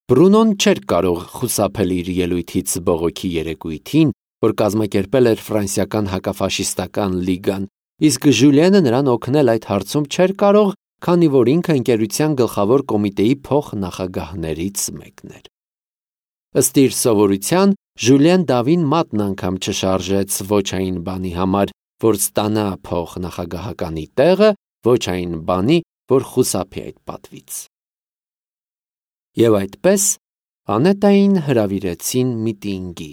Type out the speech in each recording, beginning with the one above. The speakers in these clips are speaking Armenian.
Բրունոն չէր կարող խուսափել իր ելույթից բողոքի երեկույթին, որ կազմակերպել էր ֆրանսիական հակաֆաշիստական լիգան, իսկ Ժուլիենը նրան օգնել այդ հարցում չէր կարող, քանի որ ինքը ընկերության գլխավոր կոմիտեի փոխնախագահներից մեկն էր։ Ըստ իր սովորության, Ժուլիեն Դավին մատն անգամ չշարժեց ոչ այն բանի համար, որ ստանա փոխնախագահականի տեղը, ոչ այն բանի, որ խուսափի այդ պատվից։ Եվ այդպես Անետային հրավիրեցին միտինգի։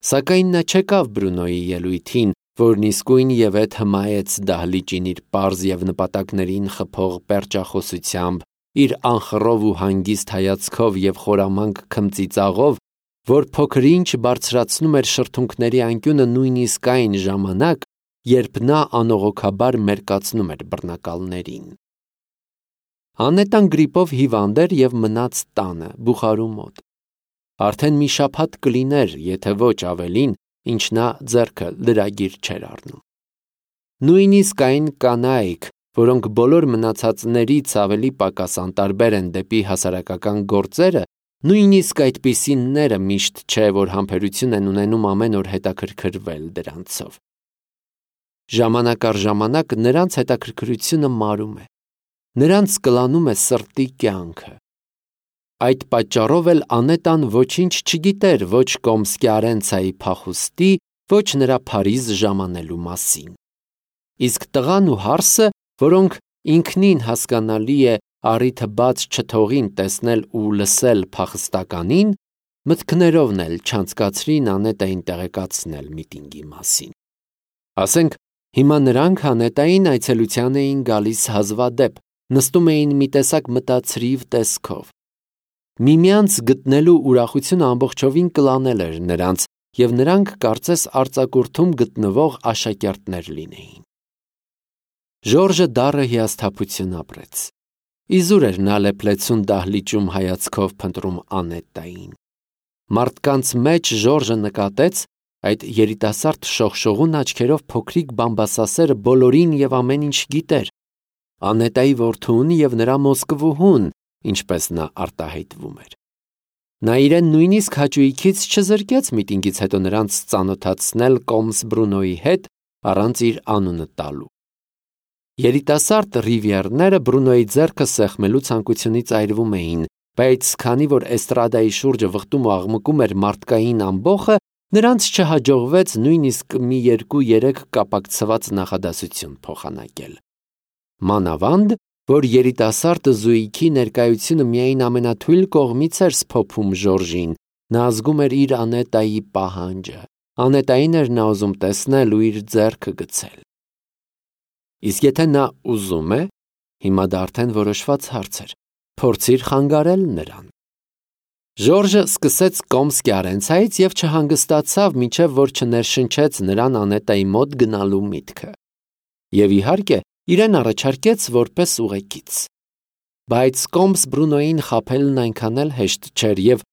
Սակայն նա չեկավ Բրունոյի ելույթին, որն իսկույն ևեթ հմայեց դահլիճին իր պարզ և նպատակներին խփող պերճախոսությամբ, իր անխռով ու հանգիստ հայացքով և խորամանկ քմծիծաղով, որ փոքր-ինչ բարձրացնում էր շրթունքների անկյունը նույնիսկ այն ժամանակ, երբ նա անողոքաբար մերկացնում էր բռնակալներին։ Անետան գրիպով հիվանդ էր և մնաց տանը, Բուխարու մոտ։ Արդեն մի շաբաթ կլիներ, եթե ոչ ավելին, ինչ նա ձեռքը լրագիր չէր առնում։ Նույնիսկ այն կանայք, որոնք բոլոր մնացածներից ավելի պակաս անտարբեր են դեպի հասարակական գործերը, նույնիսկ այդպիսինները միշտ չէ, որ համբերություն են ունենում ամեն օր հետաքրքրվել դրանցով։ Ժամանակ առ ժամանակ նրանց հետաքրքրությունը մարում է, նրանց կլանում է սրտի կյանքը։ Այդ պատճառով էլ Անետան ոչինչ չգիտեր ոչ Կոմսկի-Արենցայի փախուստի, ոչ նրա Փարիզ ժամանելու մասին։ Իսկ տղան ու հարսը, որոնք ինքնին հասկանալի է առիթը բաց չթողին տեսնել ու լսել փախստականին, մտքներովն էլ չանցկացրին Անետային տեղեկացնել միտինգի մասին։ Ասենք, հիմա նրանք Անետային այցելության էին գալիս հազվադեպ, նստում էին մի տեսակ մտացրիվ տեսքով։ Միմյանց գտնելու ուրախությունը ամբողջովին կլանել էր նրանց, և նրանք կարծես արձակուրդում գտնվող աշակերտներ լինեին։ Ժորժը դառը հիասթափություն ապրեց։ Իզուր էր նա լեփլեցուն դահլիճում հայացքով փնտրում Անետային։ Մարդկանց մեջ Ժորժը նկատեց այդ երիտասարդ շողշողուն աչքերով փոքրիկ բամբասասերը բոլորին և ամեն ինչ գիտեր, Անետայի որդուն և նրա Մոսկվուհուն, ինչպես նա արտահայտվում էր։ Նա իրեն նույնիսկ հաճույքից չզրկեց միտինգից հետո նրանց ծանոթացնել Կոմս Բրունոյի հետ առանց իր անունը տալու։ Երիտասարդ Ռիվիերները Բրունոյի ձեռքը սեղմելու ցանկությունից այրվում էին, բայց քանի որ էստրադայի շուրջը վխտում ու աղմկում էր մարդկային ամբոխը, նրանց չհաջողվեց նույնիսկ մի 2-3 կապակցված նախադասություն փոխանակել։ Մանավանդ, որ երիտասարդ զույգի ներկայությունը միայն ամենաթույլ կողմից էր սփոփում Ժորժին, նա զգում էր իր Անետայի պահանջը, Անետային էր նա ուզում տեսնել ու իր ձեռքը գցել։ Իսկ եթե նա ուզում է, հիմա դա արդեն որոշված հարց էր, փորձիր խանգարել նրան։ Ժորժը սկսեց Կոմսկի-Արենցայից և չհանգստացավ, մինչև որ չներշնչեց նրան Անետայի մոտ գնալու միտքը։ Եվ իհարկե, իրեն առաջարկեց որպես ուղեկից։ Բայց Կոմս Բրունոյին խաբելն այնքան էլ հեշտ չէր և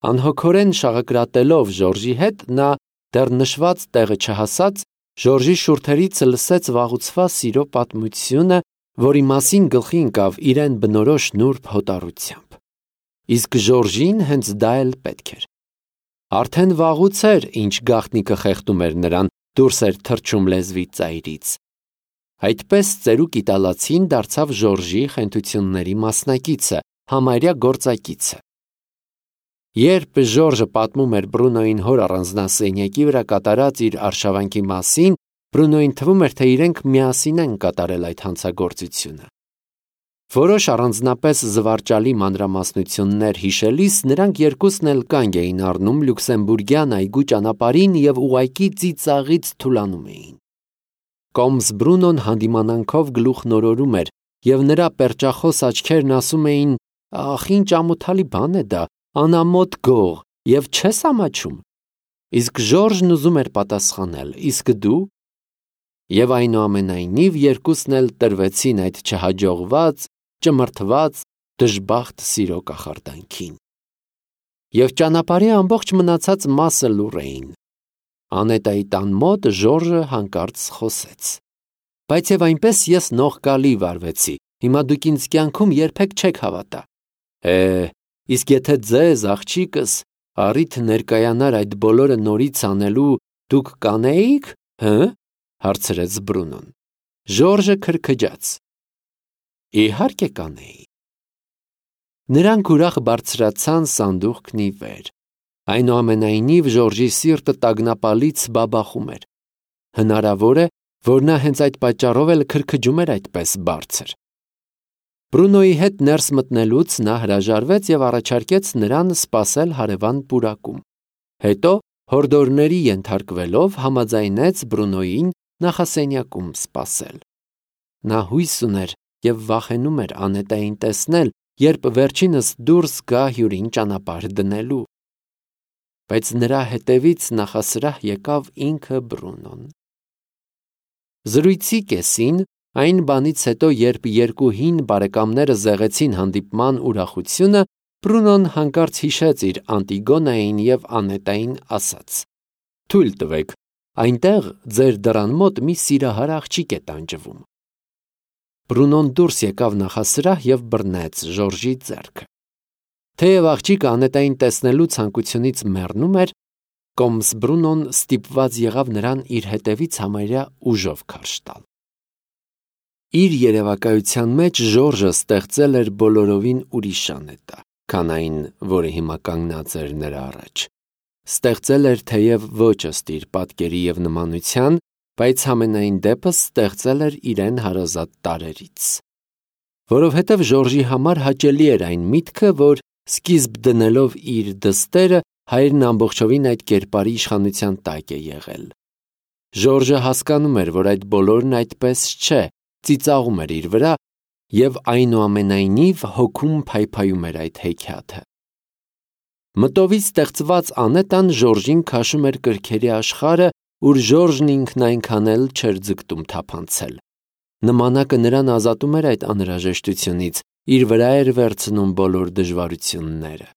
անհոգորեն շաղակրատելով Ժորժի հետ, նա դեռ նշված տեղը չհասած, Ժորժի շուրթերից լսեց վաղուցվա սիրո պատմությունը, որի մասին գլխի ընկավ իրեն բնորոշ նուրբ հոտառությամբ։ Իսկ Ժորժին հենց դա էլ պետք էր։ Արդեն վաղուց էր, ինչ գաղտնիքը խեղդում էր նրան, դուրս էր թռչում լեզվի ծայրից։ Այդպես ծերուկ իտալացին դարձավ Ժորժի խենթությունների մասնակիցը, համարյա գործակիցը։ Երբ Ժորժը պատմում էր Բրունոյին հոր առանձնասենյակի վրա կատարած իր արշավանքի մասին, Բրունոյին թվում էր, թե իրենք միասին են կատարել այդ հանցագործությունը։ Որոշ առանձնապես զվարճալի մանրամասնություններ հիշելիս նրանք երկուսն էլ կանգ էին առնում Լյուքսեմբուրգյան այգու ճանապարհին և ուղղակի ծիծաղից թուլանում էին։ Կոմս Բրունոն հանդիմանանքով գլուխ նորորում էր, և նրա պերճախոս աչքերն ասում էին. «Ախ, ինչ ամոթալի բան է դա, անամոթ գող, և չես ամաչում»։ Իսկ Ժորժն ուզում էր պատասխանել. «Իսկ դու»։ Եվ այնուամենայնիվ երկուսն էլ տրվեցին այդ չհաջողված, ճմրթված, դժբախտ սիրո կախարդանքին։ Եվ ճանապարհի ամբողջ մնացած մասը լուռ էին։ Անետայի տան մոտ Ժորժը հանկարծ խոսեց. «Բայց եւ այնպես ես նողկալի վարվեցի, հիմա դուք ինձ կյանքում երբեք չեք հավատա»։ Իսկ եթե ձեզ, աղջիկս, առիթ ներկայանար այդ բոլորը նորից անելու, դուք կանեիք, հարցրեց Բրունոն։ Ժորժը քրքջաց։ Իհարկե կանեի։ Նրանք ուրախ բարձրացան սանդուղքն ի վեր։ Այնուամենայնիվ Ժորժի սիրտը տագնապալից բաբախում էր։ Հնարավոր է, որ նա հենց այդ պատճառով էլ քրքջում էր այդպես բարձր։ Բրունոյի հետ ներս մտնելուց նա հրաժարվեց և առաջարկեց նրան սպասել հարևան պուրակում։ Հետո, հորդորների ենթարկվելով, համաձայնեց Բրունոյին նախասենյակում սպասել։ Նա հույս ուներ և վախենում էր Անետային տեսնել, երբ վերջինս դուրս գա հյուրին ճանապարհ դնելու։ Բայց նրա հետևից նախասրահ եկավ ինքը Բրունոն։ Զրույցի կեսին, այն բանից հետո, երբ երկու հին բարեկամները զեղեցին հանդիպման ուրախությունը, Բրունոն հանկարծ հիշեց իր Անտիգոնային և Անետային ասած. «Թույլ տվեք, այնտեղ ձեր դռան մոտ մի սիրահար աղջիկ է տանջվում»։ Բրունոն դուրս եկավ նախասրահ և բռնեց Ժորժի ձեռքը։ Թեև աղջիկը Անետային տեսնելու ցանկությունից մեռնում էր, կոմս Բրունոն ստիպված եղավ նրան իր հետևից համարյա ուժով քարշ տալ։ Իր երևակայության մեջ Ժորժը ստեղծել էր բոլորովին ուրիշ Անետա, քան այն, որը հիմա կանգնած էր նրա առաջ։ Ստեղծել էր թեև ոչ ըստ իր պատկերի և նմանության, բայց համենայն դեպս ստեղծել էր իրեն հարազատ տարրերից։ Որովհետև Ժորժի համար հաճելի էր այն միտքը, որ սկիզբ դնելով իր դստերը, հայրն ամբողջովին այդ կերպարի իշխանության տակ է եղել։ Ժորժը հասկանում էր, որ այդ բոլորն այդպես չէ, ծիծաղում էր իր վրա և այնուամենայնիվ հոգում փայփայում էր այդ հեքիաթը։ Մտովի ստեղծված Անետան Ժորժին քաշում էր կրքերի աշխարհը, ուր Ժորժն ինքն այնքան էլ չէր ձգտում թափանցել։ Նմանակը նրան ազատում էր այդ անհրաժեշտությունից, իր վրա էր վերցնում բոլոր դժվարությունները։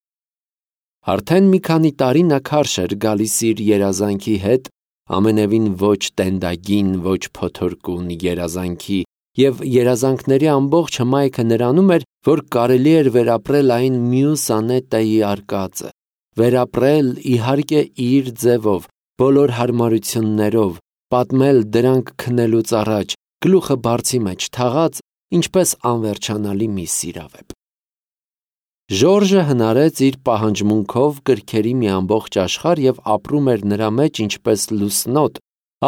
Արդեն մի քանի տարի նա քարշ էր գալիս իր երազանքի հետ, ամենևին ոչ տենդագին, ոչ փոթորկուն երազանքի, և երազանքների ամբողջ հմայքը նրանում էր, որ կարելի էր վերապրել այն մյուս Անետայի արկածը, վերապրել, իհարկե, իր ձևով, բոլոր հարմարություններով, պատմել դրանք քննելուց առաջ, գլուխը բարձի մեջ թաղած, ինչպես անվերջանալի մի սիրավեպ։ Ժորժը հնարեց իր պահանջմունքով կրքերի մի ամբողջ աշխարհ և ապրում էր նրա մեջ ինչպես լուսնոտ,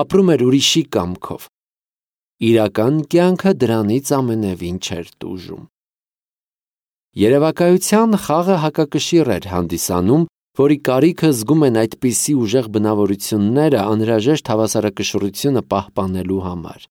ապրում էր ուրիշի կամքով։ Իրական կյանքը դրանից ամենևին չէր տուժում։ Երևակայության խաղը հակակշիռ էր հանդիսանում, որի կարիքը զգում են այդպիսի ուժեղ բնավորությունները անհրաժեշտ հավասարակշռությունը պահպանելու համար։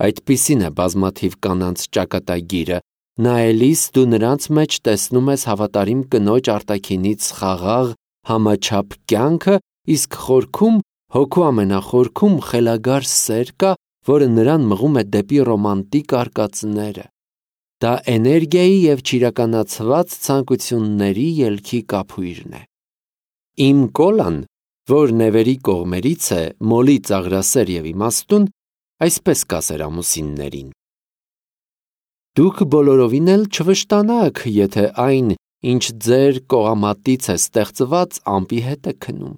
Այդպիսին է բազմաթիվ կանանց ճակատագիրը, նայելիս դու նրանց մեջ տեսնում ես հավատարիմ կնոջ արտաքինից խաղաղ, համաչափ կյանքը, իսկ խորքում, հոգու ամենախորքում խելագար սեր կա, որը նրան մղում է դեպի ռոմանտիկ արկածները։ Դա էներգիայի և չիրականացված ցանկությունների ելքի կափույրն է։ Իմ Կոլան, որ նևերի կողմերից է, մոլի ծաղրասեր և իմաստուն, այսպես կասեր ամուսիններին. «Դուք բոլորովին էլ չվշտանաք, եթե այն, ինչ ձեր կողամատից է ստեղծված, ամպի հետ է քնում։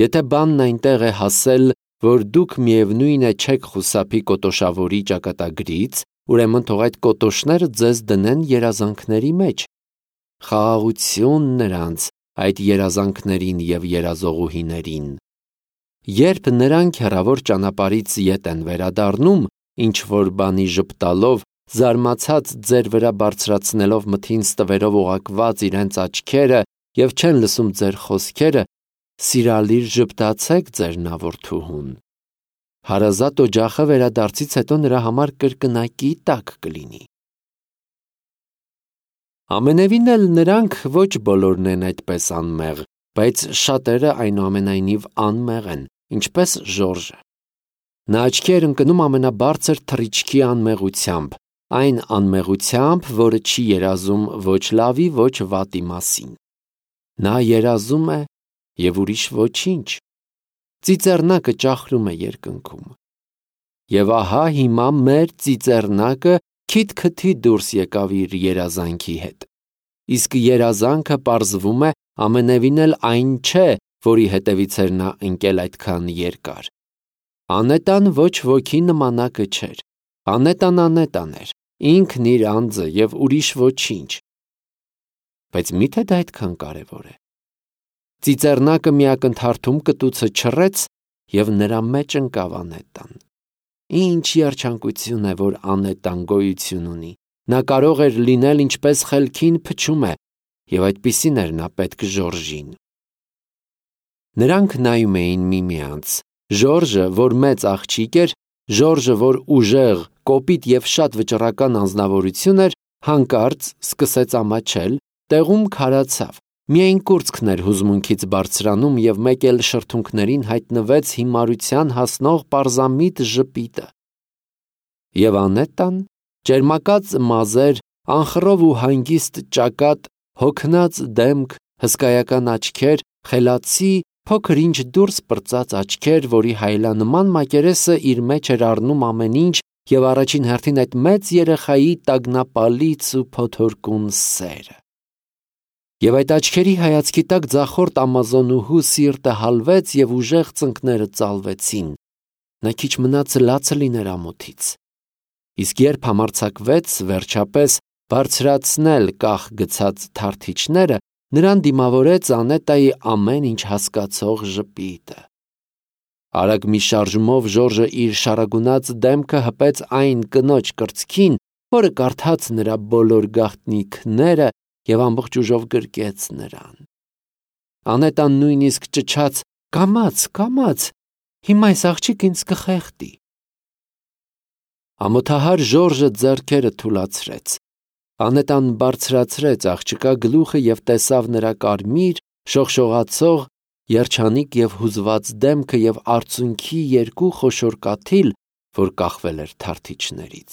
Եթե բանն այնտեղ է հասել, որ դուք միևնույն է չեք խուսափի կոտոշավորի ճակատագրից, ուրեմն թող այդ կոտոշները ձեզ դնեն երազանքների մեջ։ Խաղաղություն նրանց, այդ երազանքներին և երազողուհիներին։ Երբ նրանք հեռավոր ճանապարհից ետ են վերադառնում, ինչ-որ բանի ժպտալով, զարմացած ձեր վրա բարձրացնելով մթին ստվերով օղակված իրենց աչքերը և չեն լսում ձեր խոսքերը, սիրալիր ժպտացեք ձեր նավորդուհուն։ Հարազատ օջախը վերադարձից հետո նրա համար կրկնակի տակ կլինի։ Ամենևին էլ նրանք ոչ բոլորն են այդպես անմեղ, բայց շատերը այնուամենայնիվ անմեղ են, ինչպես Ժորժը։ Նա աչքի էր ընկնում ամենաբարձր թռիչքի անմեղությամբ, այն անմեղությամբ, որը չի երազում ոչ լավի, ոչ վատի մասին։ Նա երազում է և ուրիշ ոչինչ։ Ծիծեռնակը ճախրում է երկնքում։ Եվ ահա հիմա մեր ծիծեռնակը քիթ-քթի դուրս եկավ իր երազանքի հետ։ իսկ երազանքը պարզվում է ամենևին էլ այն չէ, որի հետևից էր նա ընկել այդքան երկար։ Անետան ոչ ոքի նմանակը չէր, անետան էր, ինքն իր անձը և ուրիշ ոչինչ։ Բայց միթե դա այդքան կարևոր է։ Ծիծեռնակը մի ակնթարթում կտուցը չռեց և նրա մեջ ընկավ անետան։ Ինչ երջանկություն է, որ անետան գոյություն ունի։ Նա կարող էր լինել ինչպես խելքին փչում է, և այդպիսին էր նա պետք Ժորժին։ Նրանք նայում էին միմյանց։ Ժորժը, որ մեծ աղջիկ էր, Ժորժը, որ ուժեղ, կոպիտ և շատ վճռական անձնավորություն էր, հանկարծ սկսեց ամաչել, տեղում քարացավ։ Միայն կուրծքն էր հուզմունքից բարձրանում և մեկ էլ շրթունքներին հայտնվեց հիմարության հասնող պարզամիտ ժպիտը։ Եվ անետան, ճերմակած մազեր, անխռով ու հանգիստ ճակատ, հոգնած դեմք, հսկայական աչքեր, խելացի, փոքր-ինչ դուրս պրծած աչքեր, որի հայելանման մակերեսը իր մեջ էր առնում ամեն ինչ և առաջին հերթին այդ մեծ երեխայի տագնապալից ու փոթորկուն սերը։ Եվ այդ աչքերի հայացքի տակ ձախորդ ամազոնուհու սիրտը հալվեց և ուժեղ ծնկները ծալվեցին։ Նա քիչ մնաց լացը լիներ ամոթից։ Իսկ երբ համարձակվեց վերջապես բարձրացնել կախ գցած թարթիչները, նրան դիմավորեց Անետայի ամեն ինչ հասկացող ժպիտը։ Արագ մի շարժումով Ժորժը իր շարագունած դեմքը հպեց այն կնոջ կրծքին, որը կարդաց նրա բոլոր գաղտնիքները և ամբողջ ուժով գրկեց նրան։ Անետան նույնիսկ ճչաց. «Կամաց, հիմա այս աղջիկը ինձ կխեղդի»։ Ամոթահար Ժորժը ձեռքերը թուլացրեց։ Անետան բարձրացրեց աղջկա գլուխը և տեսավ նրա կարմիր, շողշողացող, երջանիկ և հուզված դեմքը և արցունքի երկու խոշոր կաթիլ, որ կախվել էր թարթիչներից։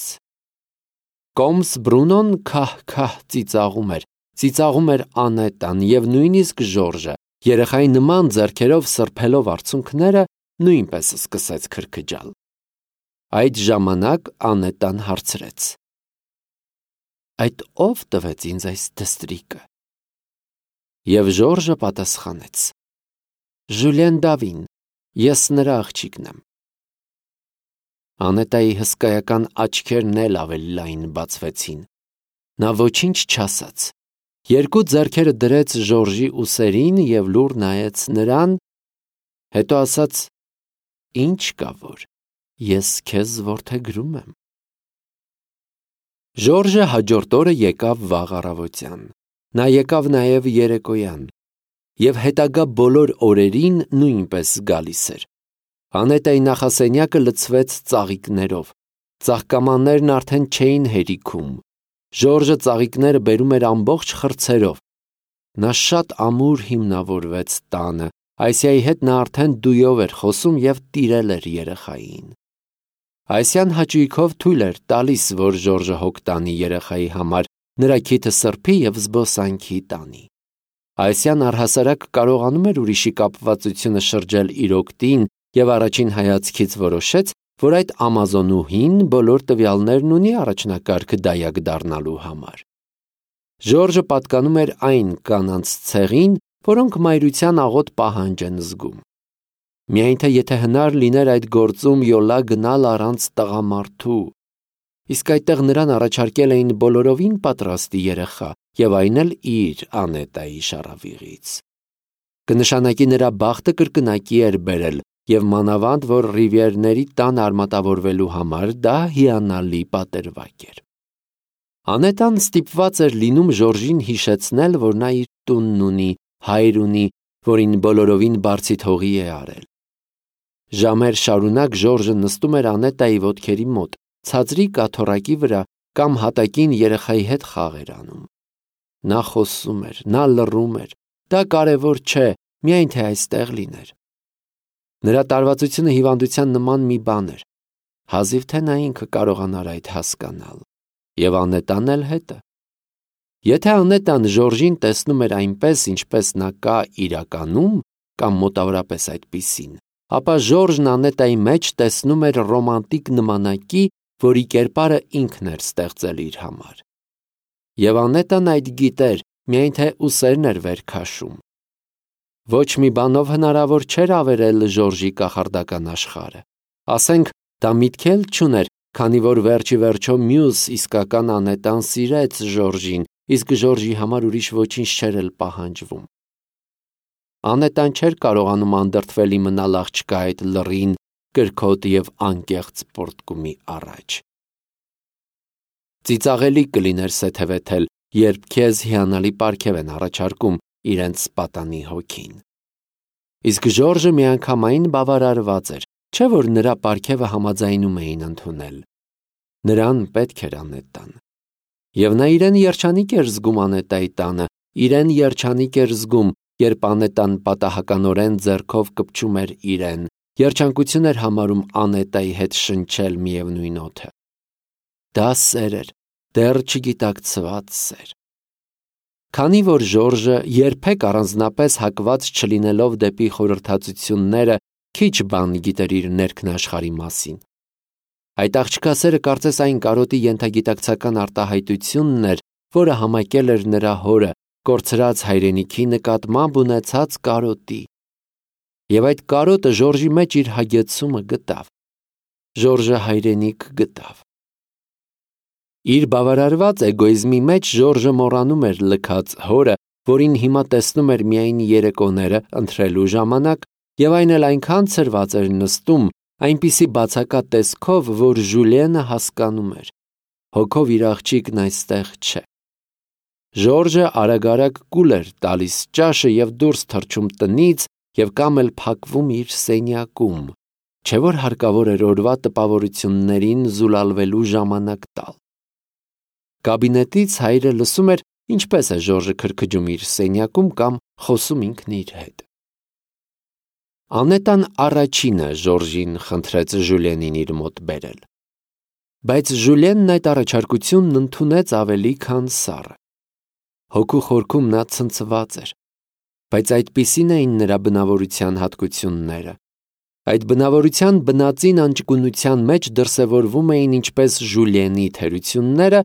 Կոմս Բրունոն քահ-քահ ծիծաղում էր Անետան և նույնիսկ Ժորժը, երեխայի նման ձեռքերով սրբելով արցունքները, նույնպես սկսեց քրքջալ։ Այդ ժամանակ Անետան հարցրեց. «Այդ ո՞վ տվեց ինձ այս դստրիկը»։ Եվ Ժորժը պատասխանեց. «Ժուլիեն Դավին, ես նրա աղջիկն եմ»։ Անետայի հսկայական աչքերն էլ ավելի լայն բացվեցին։ Նա ոչինչ չասաց։ Երկու ձեռքերը դրեց Ժորժի ուսերին և լուռ նայեց նրան, հետո ասաց. «Ինչ կա որ, ես քեզ որդեգրում եմ»։ Ժորժը հաջորդ օրը եկավ վաղ առավոտյան։ Նա եկավ նաև երեկոյան և հետագա բոլոր օրերին նույնպես գալիս էր։ Անետայի նախասենյակը լցվեց ծաղիկներով։ Ծաղկամաններն արդեն չէին հերիքում։ Ժորժը ծաղիկները բերում էր ամբողջ խրձերով։ Նա շատ ամուր հիմնավորվեց տանը։ Այսիայի հետ նա արդեն դույով էր խոսում և տիրել էր երեխային։ Այսյան հաճույքով թույլ էր տալիս, որ Ժորժը հոգ տանի երեխայի համար, նրա քիթը սրբի և զբոսանքի տանի։ Այսյան առհասարակ կարողանում էր ուրիշի կապվածությունը շրջել իր օգտին և առաջին հայացքից որոշեց, որ այդ ամազոնուհին բոլոր տվյալներն ունի առաջնակարգ դայակ դառնալու համար։ Ժորժը պատկանում էր այն կանանց ցեղին, որոնք մայրության աղոտ պահանջ են զգում։ Միայն թե եթե հնար լիներ այդ գործում յոլա գնալ առանց տղամարդու, իսկ այդտեղ նրան առաջարկել էին բոլորովին պատրաստի երեխա և այն էլ իր Անետայի շառավիղից։ Կնշանակի նրա բախտը կրկնակի էր բերել և մանավանդ, որ Ռիվիերների տան արմատավորվելու համար դա հիանալի պատրվակ էր։ Անետան ստիպված էր լինում Ժորժին հիշեցնել, որ նա իր տունն ունի, հայր ունի, որին բոլորովին բարձիթ հողի է արել։ Ժամեր շարունակ Ժորժը նստում էր Անետայի ոտքերի մոտ, ցածրի կաթոռակի վրա կամ հատակին երեխայի հետ խաղ էր անում։ Նա խոսում էր, նա լռում էր, դա կարևոր չէ, միայն թե այստեղ լիներ։ Նրա տարվածությունը հիվանդության նման մի բան էր, հազիվ թե նա ինքը կարողանար այդ հասկանալ։ Եվ Անետան էլ հետը։ Եթե Անետան Ժորժին տեսնում էր այնպես, ինչպես նա կա իրականում, կամ մոտավորապես այդպիսին, ապա Ժորժն Անետայի մեջ տեսնում էր ռոմանտիկ նմանակի, որի կերպարը ինքն էր ստեղծել իր համար։ Եվ Անետան այդ գիտեր, միայն թե ուսերն էր վեր քաշում։ Ոչ մի բանով հնարավոր չէր ավերել Ժորժի կախարդական աշխարհը։ Ասենք, դա միտք էլ չուներ, քանի որ վերջի վերջո մյուս իսկական անետան սիրեց Ժորժին, իսկ Ժորժի համար ուրիշ ոչինչ չէր էլ պահանջվում։ Անետան չէր կարողանում անդրդվել իմանալ աղջկա այդ լռին, կրքոտ եւ անկեղծ պորտկումի առաջ։ Ծիծաղելի կլիներ սեթևեթել, երբ քեզ հիանալի պարգև են առաջարկում իրենց պատանի հոգին։ Իսկ Ժորժը միանգամայն բավարարված էր, չէ՞ որ նրա պարգևը համաձայնում էին ընդունել։ Նրան պետք էր անետան։ Եվ նա իրեն երջանիկ էր զգում անետայի տանը, իրեն երջանիկ էր զգում, երբ անետան պատահականորեն ձեռքով կպչում էր իրեն, երջանկություն էր համարում անետայի հետ շնչել միևնույն օդը։ Դա սեր էր, դեռ չգիտակցված սեր։ Քանի որ Ժորժը երբեք առանձնապես հակված չլինելով դեպի խորհրդածությունները, քիչ բան գիտեր իր ներքնաշխարհի մասին։ Այդ աղջկա սերը կարծես այն կարոտի ենթագիտակցական արտահայտությունն էր, որը համակել էր նրա հորը, կորցրած հայրենիքի նկատմամբ ունեցած կարոտի։ Եվ այդ կարոտը Ժորժի մեջ իր հագեցումը գտավ։ Ժորժը հայրենիք գտավ։ Իր բավարարված էգոիզմի մեջ Ժորժը մոռանում էր լքած հորը, որին հիմա տեսնում էր միայն երեկոները ընթրելու ժամանակ, եւ այն էլ այնքան ցրված էր նստում, այնպիսի բացակա տեսքով, որ Ժուլիենը հասկանում էր. հոգով իր աղջիկն այստեղ չէ։ Ժորժը արագ-արագ կուլ էր տալիս ճաշը եւ դուրս թռչում տնից եւ կամ էլ փակվում իր սենյակում, չէ՞ որ հարկավոր էր օրվա տպավորություններին զուլալվելու ժամանակ տալ։ Կաբինետից հայրը լսում էր, ինչպես է Ժորժը քրքջում իր սենյակում կամ խոսում ինքն իր հետ։ Անետան առաջինը Ժորժին խնդրեց Ժուլիենին իր մոտ բերել։ Բայց Ժուլիենն այդ առաջարկությունն ընդունեց ավելի քան սառը։ Հոգու խորքում նա ցնցված էր, բայց այդպիսին էին նրա բնավորության հատկությունները։ Այդ բնավորության բնածին անճկունության մեջ դրսևորվում էին ինչպես Ժուլիենի թերությունները,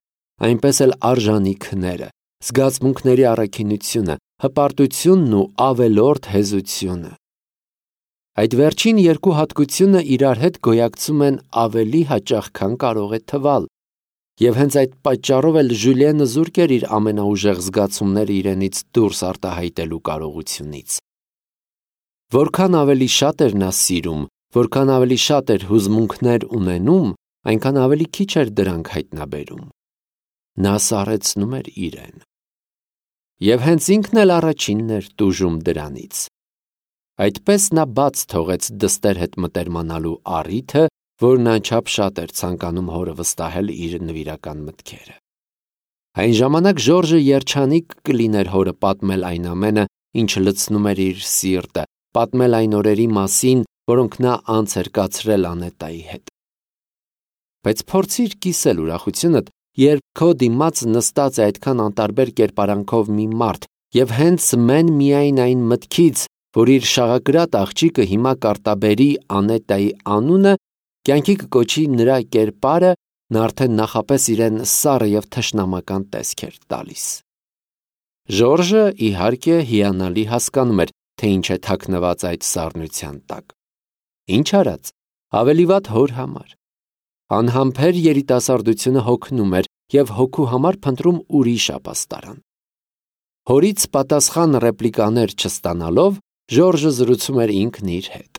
այնպես էլ արժանիքները, զգացմունքների առաքինությունը, հպարտությունն ու ավելորդ հեզությունը։ Այդ վերջին երկու հատկությունը իրար հետ գոյակցում են ավելի հաճախ, քան կարող է թվալ, եւ հենց այդ պատճառով էլ Ժուլիենը զուրկ էր իր ամենաուժեղ զգացումները իրենից դուրս արտահայտելու կարողությունից։ Որքան ավելի շատ էր նա սիրում, որքան ավելի շատ էր հուզմունքներ ունենում, այնքան ավելի քիչ էր դրանք հայտնաբերում։ Նա սառեցնում էր իրեն։ Եվ հենց ինքն էլ առաջինն էր տուժում դրանից։ Այդպես նա բաց թողեց դստեր հետ մտերմանալու առիթը, որն անչափ շատ էր ցանկանում հորը վստահել իր նվիրական մտքերը։ Այն ժամանակ Ժորժը երջանիկ կլիներ հորը պատմել այն ամենը, ինչ լցնում էր իր սիրտը, պատմել այն օրերի մասին, որոնք նա անց էր կացրել Անետայի հետ։ Բայց փորձիր կիսել ուրախությունդ, երբ քո դիմաց նստած է այդքան անտարբեր կերպարանքով մի մարդ, եւ հենց մեն միայն այն մտքից, որ իր շաղակրատ աղջիկը հիմա կարտաբերի Անետայի անունը, կյանքի կկոչի նրա կերպարը, նա արդեն նախապես իրեն սառը եւ թշնամական տեսք էր տալիս։ Ժորժը, իհարկե, հիանալի հասկանում էր, թե ինչ է թաքնված այդ սառնության տակ։ Ինչ արած, ավելի վատ հոր համար։ Անհամբեր երիտասարդությունը հոգնում էր եւ հոգու համար փնտրում ուրիշ ապաստարան։ Հորից պատասխան ռեպլիկաներ չստանալով, Ժորժը զրուցում էր ինքն իր հետ։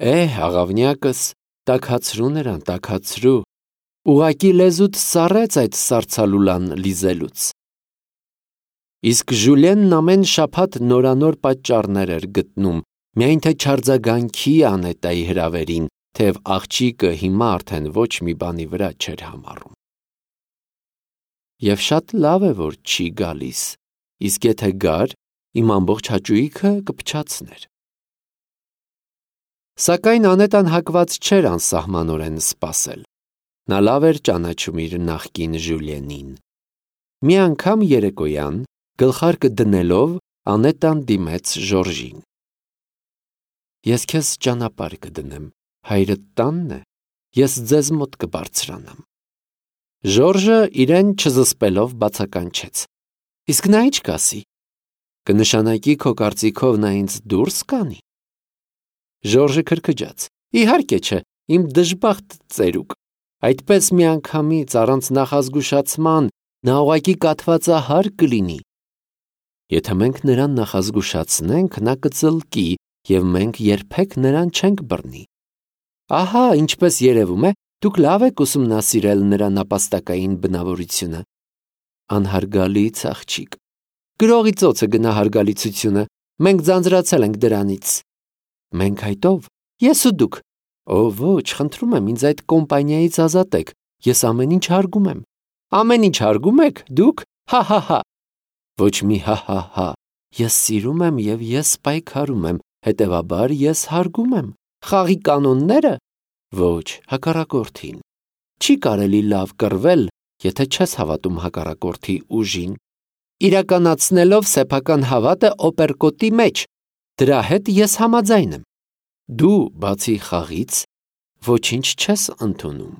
Աղավնյակս, տաքացրու նրան, տաքացրու, ուղակի լեզուդ սառեց այդ սառցալուլան լիզելուց։ Իսկ Ժուլիենն ամեն շաբաթ նորանոր պատճառներ էր գտնում, միայն թե չարձագանքի Անետայի հրավերին, թեև աղջիկը հիմա արդեն ոչ մի բանի վրա չէր համառում։ Եվ շատ լավ է, որ չի գալիս, իսկ եթե գար, իմ ամբողջ հաճույքը կփչացներ։ Սակայն Անետան հակված չէր անսահմանորեն սպասել։ Նա լավ էր ճանաչում իր նախկին Ժուլիենին։ Մի անգամ երեկոյան, գլխարկը դնելով, Անետան դիմեց Ժորժին։ Ես քեզ ճանապարհ կդնեմ, հայրդ տանն է, ես ձեզ մոտ կբարձրանամ։ Ժորժը իրեն չզսպելով բացականչեց։ Իսկ նա ինչ կասի։ Կնշանակի քո կարծիքով նա ինձ դուրս կանի։ Ժորժը քրքջաց։ Իհարկե չէ, իմ դժբախտ ծերուկ։ Այդպես միանգամից առանց նախազգուշացման նա ուղղակի կաթվածահար կլինի։ Եթե մենք նրան նախազգուշացնենք, նա կծլկի, և մենք երբեք նրան չենք բռնի։ Ահա, ինչպես երևում է, դուք լավ եք ուսումնասիրել նրա նապաստակային բնավորությունը։ Անհարգալից աղջիկ։ Գրողի ծոցը գնահարգալիցությունը, մենք ձանձրացել ենք դրանից։ Մենք այդով, ես ու դուք։ Ոչ, խնդրում եմ, ինձ այդ կոմպանիայից ազատեք, ես ամեն ինչ հարգում եմ։ Ամեն ինչ հարգում եք, դուք, հա։ Ոչ մի հա, ես սիրում եմ և ես պայքարում եմ, հետևաբար ես հարգում եմ։ Խաղի կանոնները։ Ոչ, հակառակորդին։ Չի կարելի լավ կռվել, եթե չես հավատում հակառակորդի ուժին։ Իրականացնելով սեփական հավատը օպերկոտի մեջ, դրա հետ ես համաձայն եմ։ Դու, բացի խաղից, ոչինչ չես ընդունում։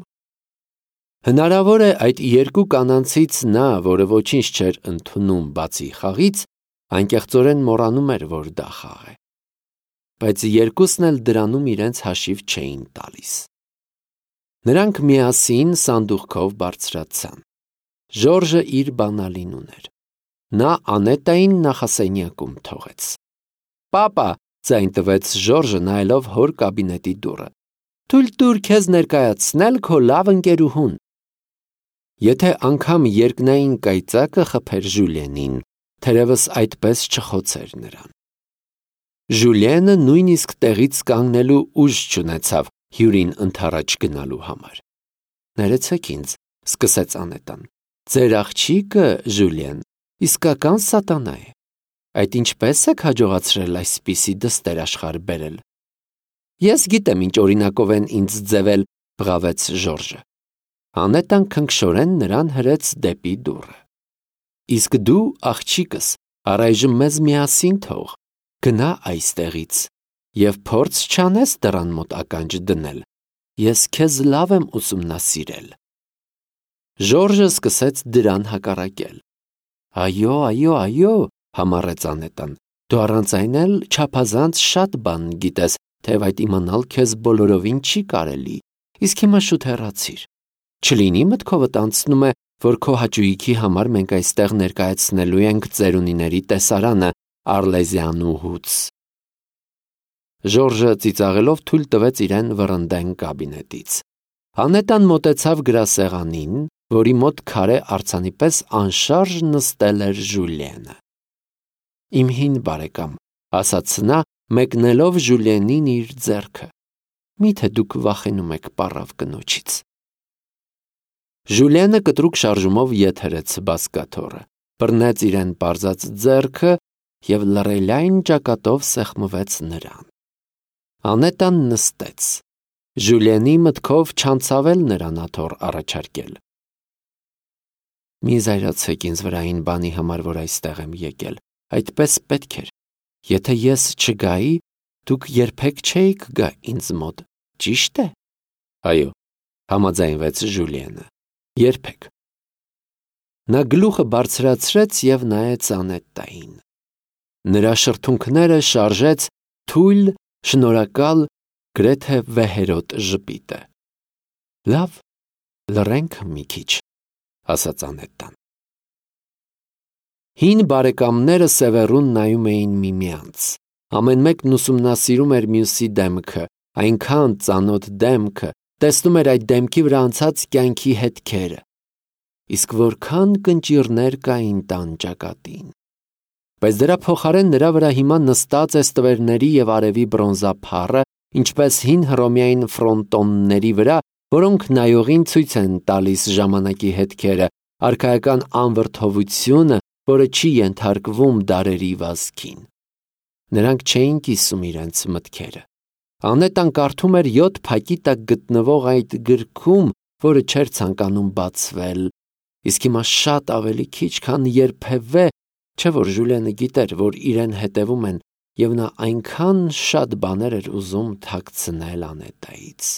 Հնարավոր է այդ երկու կանանցից նա, որը ոչինչ չէր ընդունում բացի խաղից, անկեղծորեն մոռանում էր, որ դա խաղ է։ Բայց երկուսն էլ դրանում իրենց հաշիվ չէին տալիս։ Նրանք միասին սանդուղքով բարձրացան։ Ժորժը իր բանալին ուներ։ Նա Անետային նախասենյակում թողեց։ Պապա, ձայն տվեց Ժորժը նայելով հոր կաբինետի դուռը։ Թույլ տուր քեզ ներկայացնել քո լավ ընկերուհուն։ Եթե անգամ երկնային կայծակը խփեր Ժուլիենին, թերևս այդպես չխոցեր նրան։ Ժուլիենը նույնիսկ տեղից կանգնելու ուժ չունեցավ հյուրին ընդառաջ գնալու համար։ Ներեցեք ինձ, սկսեց Անետան։ Ձեր աղջիկը, Ժուլիեն, իսկական սատանա է։ Այդ ինչպես եք հաջողացրել այսպիսի դստեր աշխարհ բերել։ Ես գիտեմ ինչ օրինակով են ինձ ձևել, բղավեց Ժորժը։ Անետան քնքշորեն նրան հրեց դեպի դուռը։ Իսկ դու, աղջիկս, առայժմ մեզ միասին թող, գնա այստեղից և փորձ չանես դռան մոտ ականջ դնել։ Ես քեզ լավ եմ ուսումնասիրել։ Ժորժը սկսեց դրան հակառակել։ Այո, համառեց Անետան, դու առանց այն էլ չափազանց շատ բան գիտես, թեև այդ իմանալ քեզ բոլորովին չի կարելի, իսկ հիմա շուտ հեռացիր։ Չլինի մտքովդ անցնում է, որ քո հաճույքի համար մենք այստեղ ներկայացնելու ենք ծերունիների տեսարանը Արլեզյանուհուց։ Ժորժը ծիծաղելով թույլ տվեց իրեն վռնդեն կաբինետից։ Անետան մոտեցավ գրասեղանին, որի մոտ քարե արձանի պես անշարժ նստել էր Ժուլիենը։ Իմ հին բարեկամ, ասաց նա, մեկնելով Ժուլիենին իր ձեռքը։ Միթե դուք վախենում եք պառավ կնոջից։ Ժուլիենը կտրուկ շարժումով ետ հրեց բազկաթոռը, բռնեց իրեն պարզած ձեռքը և լռելային ճակատով սեղմվեց նրան։ Անետան նստեց։ Ժուլիենի մտքով չանցավել նրան աթոռ առաջարկել։ Մի զայրացեք ինձ վրա այն բանի համար, որ այստեղ եմ եկել, այդպես պետք էր։ Եթե ես չգայի, դուք երբեք չէիք գա ինձ մոտ, ճիշտ է։ Այո, համաձայնվեց Ժուլիենը, երբեք։ Նա գլուխը բարձրացրեց և նայեց Անետային։ Նրա շրթունքները շարժեց թույլ, շնորհակալ, գրեթե վեհերոտ ժպիտը։ Լավ, լռենք մի քիչ, ասաց Անետան։ Հին բարեկամները սևեռուն նայում էին միմյանց։ Ամեն մեկն ուսումնասիրում էր մյուսի դեմքը, այնքան ծանոթ դեմքը, տեսնում էր այդ դեմքի վրա անցած կյանքի հետքերը։ Իսկ որքան կնճիռներ կային տան ճակատին։ Բայց դրա փոխարեն նրա վրա հիմա նստած է ստվերների և արևի բրոնզափառը, ինչպես հին հռոմեային ֆրոնտոնների վրա, որոնք նայողին ցույց են տալիս ժամանակի հետքերը, արքայական անվրդովությունը, որը չի ենթարկվում դարերի վազքին։ Նրանք չէին կիսում իրենց մտքերը։ Անետան կարդում էր 7 փակի տակ գտնվող այդ գրքում, որը չէր ցանկանում բացվել, իսկ հիմա շատ ավելի քիչ, քան երբևէ, չէ որ Ժուլիենը գիտեր, որ իրեն հետևում են, և նա այնքան շատ բաներ էր ուզում թաքցնել Անետայից։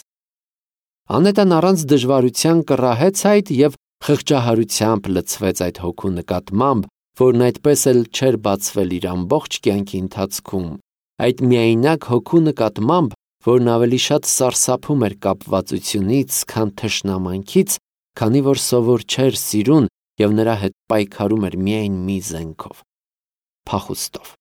Անետան առանց դժվարության կռահեց այդ և խղճահարությամբ լցվեց այդ հոգու նկատմամբ, որն այդպես էլ չէր բացվել իր ամբողջ կյանքի ընթացքում, այդ միայնակ հոգու նկատմամբ, որն ավելի շատ սարսափում էր կապվածությունից, քան թշնամանքից, քանի որ սովոր չէր սիրուն և նրա հետ պայքարում էր միայն մի զենքով՝ փախուստով։